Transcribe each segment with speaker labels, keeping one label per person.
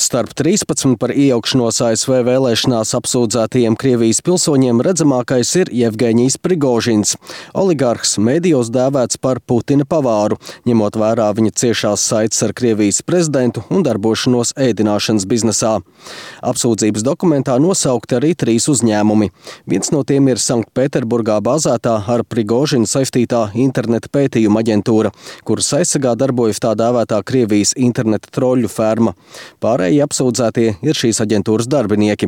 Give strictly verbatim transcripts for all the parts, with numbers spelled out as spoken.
Speaker 1: Starp trīspadsmit par iejaukšanos A S V vēlēšanās apsūdzētajiem Krievijas pilsoņiem redzamākais ir Jevgeņijs Prigožins. Oligarhs mēdījos dēvēts par Putina pavāru, ņemot vērā viņa ciešās saites ar Krievijas prezidentu un darbošanos ēdināšanas biznesā. Apsūdzības dokumentā nosaukti arī trīs uzņēmumi. Viens no tiem ir Sanktpēterburgā bāzētā ar Prigožinu saistītā interneta pētījuma aģentūra, kuras aizsargā darbojas tā dēvētā Krievijas interneta troļļu ferma. Pārējie apsūdzētie ir šīs aģentūras darbinieki.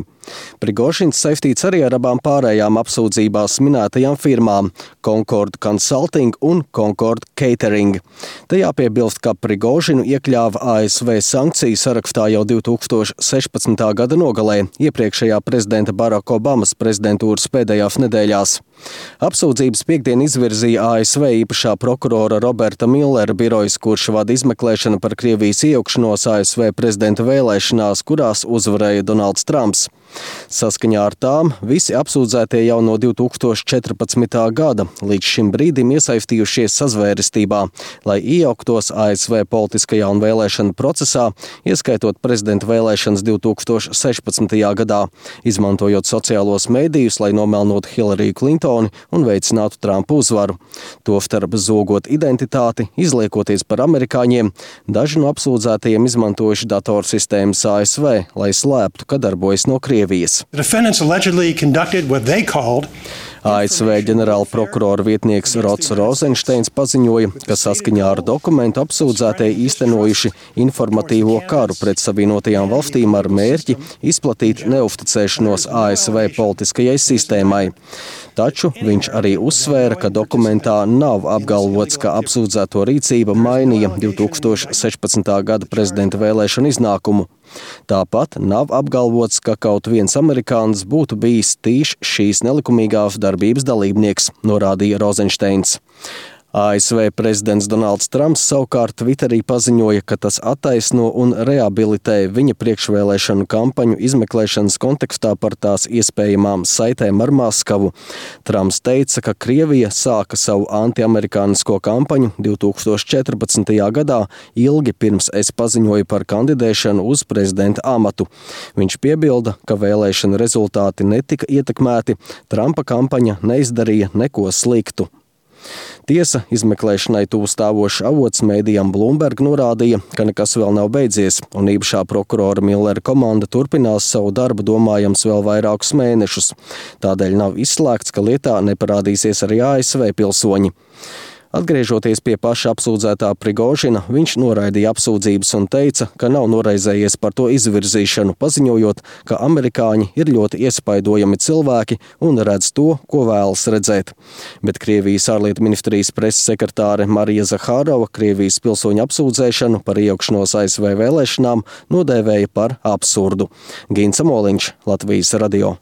Speaker 1: Prigožins saistīts arī ar abām pārējām apsūdzībās minētajām firmām – Concord Consulting un Concord Catering. Te jāpiebilst, ka Prigožinu iekļāva A S V sankciju sarakstā jau divi tūkstoši sešpadsmitā gada nogalē, iepriekšējā prezidenta Baraka Obamas prezidentūras pēdējās nedēļās. Apsūdzības piekdien izvirzīja A S V īpašā prokurora Roberta Millera birojas, kurš vada izmeklēšanu par Krievijas iejaukšanos A S V prezidenta vēlēšanās, kurās uzvarēja Donalds Trumps. Saskaņā ar tām visi apsūdzētie jau no divi tūkstoši četrpadsmitā gada līdz šim brīdim iesaistījušies sazvērestībā, lai iejauktos A S V politiskajā un vēlēšanu procesā, ieskaitot prezidenta vēlēšanas divi tūkstoši sešpadsmitajā gadā, izmantojot sociālos mēdījus, lai nomelnotu Hillary Clintoni un veicinātu Trumpa uzvaru. Tostarp zogot identitāti, izliekoties par amerikāņiem, daži no apsūdzētajiem izmantojuši datorsistēmas A S V, lai slēptu, ka darbojas no Krievijas. A S V ģenerāla prokurora vietnieks Rods Rozensteins paziņoja, ka saskaņā ar dokumentu apsūdzētie īstenojuši informatīvo karu pret Savienotajām valstīm ar mērķi izplatīt neusticēšanos A S V politiskajai sistēmai. Taču viņš arī uzsvēra, ka dokumentā nav apgalvots, ka apsūdzēto rīcība mainīja divi tūkstoši sešpadsmitā gada prezidenta vēlēšanu iznākumu. Tāpat nav apgalvots, ka kaut viens amerikānis būtu bijis tīšs šīs nelikumīgās darbības dalībnieks, norādīja Rozensteins. A S V prezidents Donalds Trumps savukārt Twitterī paziņoja, ka tas attaisno un rehabilitē viņa priekšvēlēšanu kampaņu izmeklēšanas kontekstā par tās iespējamām saitēm ar Maskavu. Trumps teica, ka Krievija sāka savu antiamerikānisko kampaņu divi tūkstoši četrpadsmitajā gadā, ilgi pirms es paziņoju par kandidēšanu uz prezidenta amatu. Viņš piebilda, ka vēlēšana rezultāti netika ietekmēti, Trumpa kampaņa neizdarīja neko sliktu. Tiesa izmeklēšanai tuvu stāvošs avots mēdījam Bloomberg norādīja, ka nekas vēl nav beidzies, un īpašā prokurora Millera komanda turpinās savu darbu domājams vēl vairākus mēnešus. Tādēļ nav izslēgts, ka lietā neparādīsies arī A S V pilsoņi. Atgriežoties pie paša apsūdzētā Prigožina, viņš noraidīja apsūdzības un teica, ka nav noraizējies par to izvirzīšanu, paziņojot, ka amerikāņi ir ļoti iespaidojami cilvēki un redz to, ko vēlas redzēt. Bet Krievijas ārlietu ministrijas preses sekretāre Marija Zahārova Krievijas pilsoņu apsūdzēšanu par iejaukšanos A S V vēlēšanām nodēvēja par absurdu. Gins Amoliņš, Latvijas radio.